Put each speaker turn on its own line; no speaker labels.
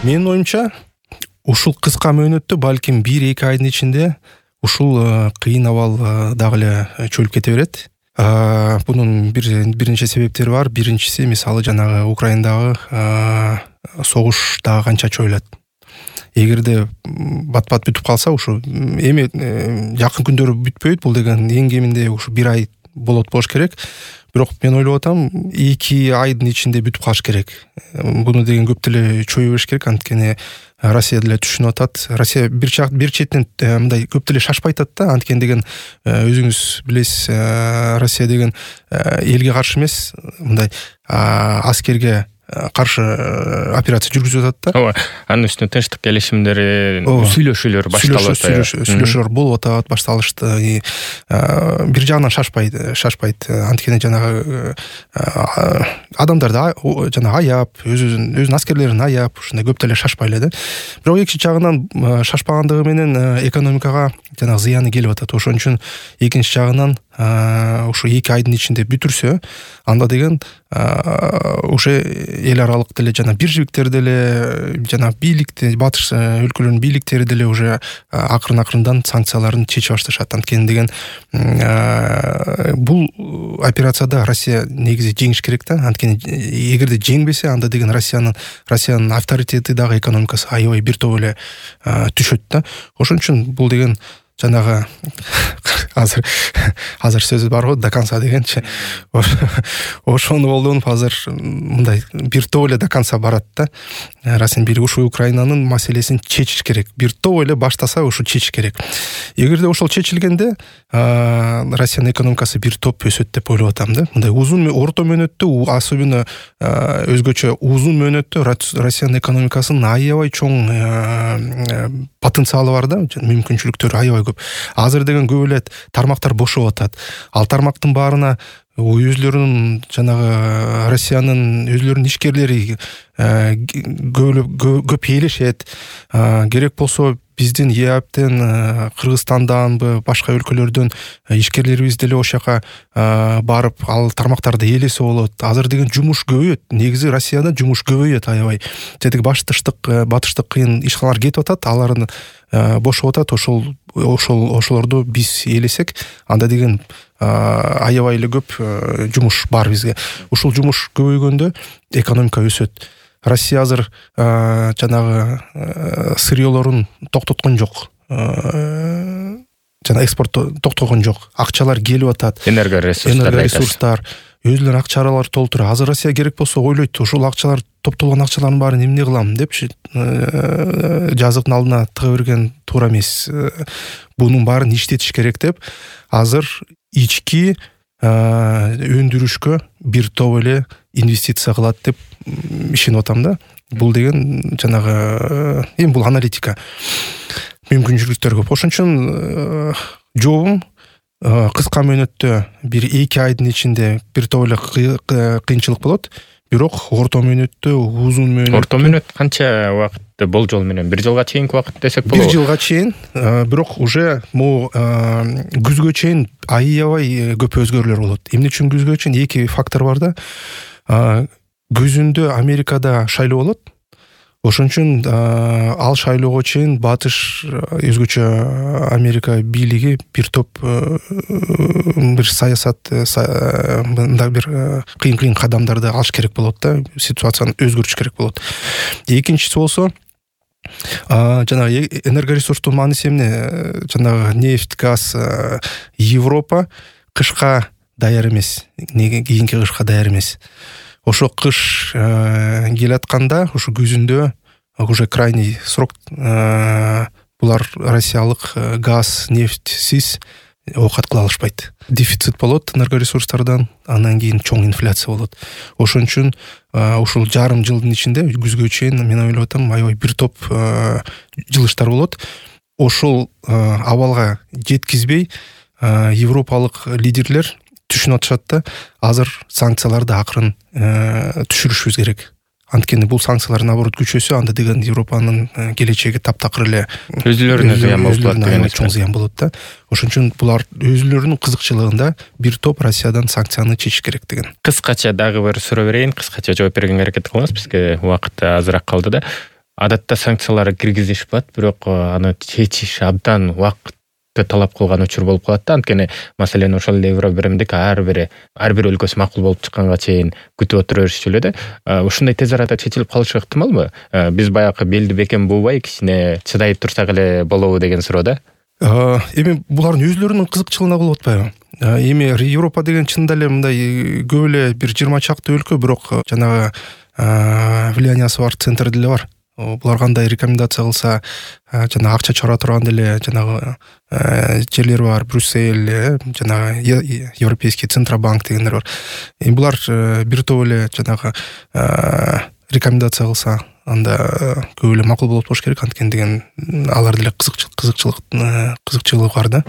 Менин оюмча ушул кыска мөөнөттө балким 1-2 айдын ичинде ушул кыйын абал дагы эле чөлүп кете берет. Бунун бир нече себептери бар. Биринчиси мисалы жанагы Украинадагы согуш дагы канча чойлот. Эгерде бат-бат бүтүп калса, ушу эми жакын күндөрү бүтпөйт. Бул деген эң кеминде ушу 1 ай болот керек. Бирок мен ойлоп атам, 2 айдын ичинде бүтүп калыш керек. Буну деген көп деле чөйө бериш керек, анткени Россия деле түшүнүп атат. Россия бир четтен мындай көп деле шашпай атат да, анткени деген өзүңүз билесиз, Россия деген элге каршы эмес, мындай аскерге каршы операция жүргүзүп атат да.
Ооба, анын үстүнө тынчтык келишимдери, сүйлөшүүлөр башталып атат.
Сүйлөшүүлөр болуп атат, башталышты. Бир жагынан шашпайт. Анткени жанагы адамдарды жана аяп, өзүнүн аскерлерин аяп, ушундай көп деле шашпай эле да. Бирок экинчи жагынан шашпагандыгы менен экономикага жанагы зыяны келип атат. Ошон үчүн экинчи жагынан ушу 2 айдын ичинде бүтүрсө, анда деген уже эл аралык деле жана биржибиктер деле жана бийликте, батыш өлкөлөрүнүн бийликтери деле уже акырын-акырындан санкцияларын чечип башташат. Анткени деген бул операцияда Россия негизи жеңиш керек да. Анткени эгерде жеңбесе, анда деген Россиянын авторитети дагы экономикасы аябай бир топ эле түшөт да. Ошон үчүн бул деген жанагы азыр сөз бар го, до конца дегенчи. Ошону колдонуп азыр мындай бир топ эле до конца барат да. Россиянын бийлиги ушу Украинанын маселесин чечиш керек. Бир топ эле баштаса, ушу чечиш керек. Эгерде ошол чечилгенде, Россиянын экономикасы бир топ өсөт деп ойлоп атам да. Мындай узун орто мөөнөттө, особенно өзгөчө узун мөөнөттө Россиянын экономикасынын аябай чоң потенциалы бар да, мүмкүнчүлүктөрү аябай көп. Азыр деген көп эле тармактар бошоп атат. Ал тармактын баарына өзлөрүнүн жанагы Россиянын өзлөрүнүн ишкерлери көп ээлешет. Керек болсо биздин ЕАПтен, Кыргызстанданбы, башка өлкөлөрдөн ишкерлерибиз деле ошол жака барып, ал тармактарды ээлесе болот. Азыр деген жумуш көбөйөт. Негизи Россияда жумуш көбөйөт аябай. Тетиги батыштык кыйын ишканалар кетип атат, алардын бошоп атат. Ошолорду биз ээлесек, анда деген аябай эле көп жумуш бар бизге. Ушул жумуш көбөйгөндө экономика өсөт. Россия азыр жанагы сырьёлорун токтоткон жок. Жана экспортту токтогон жок. Акчалар келип атат. Энергоресурстар, өзүлөрүнүн акчалары толтура. Азыр Россия керек болсо ойлойт, ушул акчалар, топтолгон акчалардын баарын эмне кылам депчи, жазыктын алдына тыга берген туура эмес. Бунун баарын иштетиш керек деп, азыр ички өндүрүшкө бир топ эле инвестиция кылат деп ишенип атам да. Бул деген жанагы бул аналитика. Мүмкүнчүлүктөр көп. Ошон үчүн жообум кыска мөөнөттө 1-2 айдын ичинде бир топ эле кыйынчылык болот. Бирок орто мөөнөттө, узун мөөнөттө.
Орто мөөнөт канча убакытты болжол менен? 1 жылга чейинки убакыт десек болобу?
1 жылга чейин, бирок уже могу күзгө чейин аябай көп өзгөрүүлөр болот. Эмне үчүн күзгө чейин? 2 фактор бар да. Күзүндө Америкада шайлоо болот. Ошон үчүн ал шайлоого чейин батыш өзгөчө Америка бийлиги бир топ бир саясат, мындай бир кыйын кадамдарды алыш керек болот да, ситуацияны өзгөртүш керек болот. Экинчиси болсо, жанагы энергоресурстун мааниси эмне? Жанагы нефть, газ, Европа кышка даяр эмес, кийинки кышка даяр эмес. Ошо кыш келатканда, ушу күзүндө уже крайний срок булар россиялык газ, нефтьсиз оокат кыла алышпайт. Дефицит болот энергоресурстардан, андан кийин чоң инфляция болот. Ошон үчүн ушул жарым жылдын ичинде күзгө чейин мен ойлоп атам, аябай бир топ жылыштар болот. Ошол абалга жеткизбей европалык лидерлер түшүнүп атышат да, азыр санкцияларды акырын түшүрүшүбүз керек. Анткени бул санкциялар наоборот күчөсө, анда деген Европанын келечеги таптакыр эле
өзүлөрүнө зыян болот деген
чоң зыян болот да. Ошон үчүн булар өзүлөрүнүн кызыкчылыгында бир топ Россиядан санкцияны чечиш керек деген.
Кыскача дагы бир суроо берейин, кыскача жооп бергенге аракет кылыңыз, бизге убакыт азыраак калды да. адатта санкциялар киргизишпат, бирок аны чечиш абдан убакытты талап кылган учур болуп калат да. Анткени маселен ошол эле Евробиримдик ар бир өлкөсү макул болуп чыкканга чейин күтүп отура беришчү эле да. Ушундай тез арада чечилип калышы ыктымалбы? Биз баягы белди бекем буубай кичине чыдай турсак эле болобу деген суроо да.
Эми булардын өзлөрүнүн кызыкчылыгына болуп атпайбы? Эми Европа деген чынында эле мындай көп эле бир 20 чакты өлкө, бирок жанагы влияниясы бар центр деле бар. Булар кандай рекомендация кылса, жана акча чыгара турган деле жанагы жерлер бар, Брюссель, жана Европейский Центробанк дегендер бар. Эми булар бир топ эле жанагы рекомендация кылса, анда көп эле макул болуп болуш керек, анткени деген алар деле кызыкчылык бар да.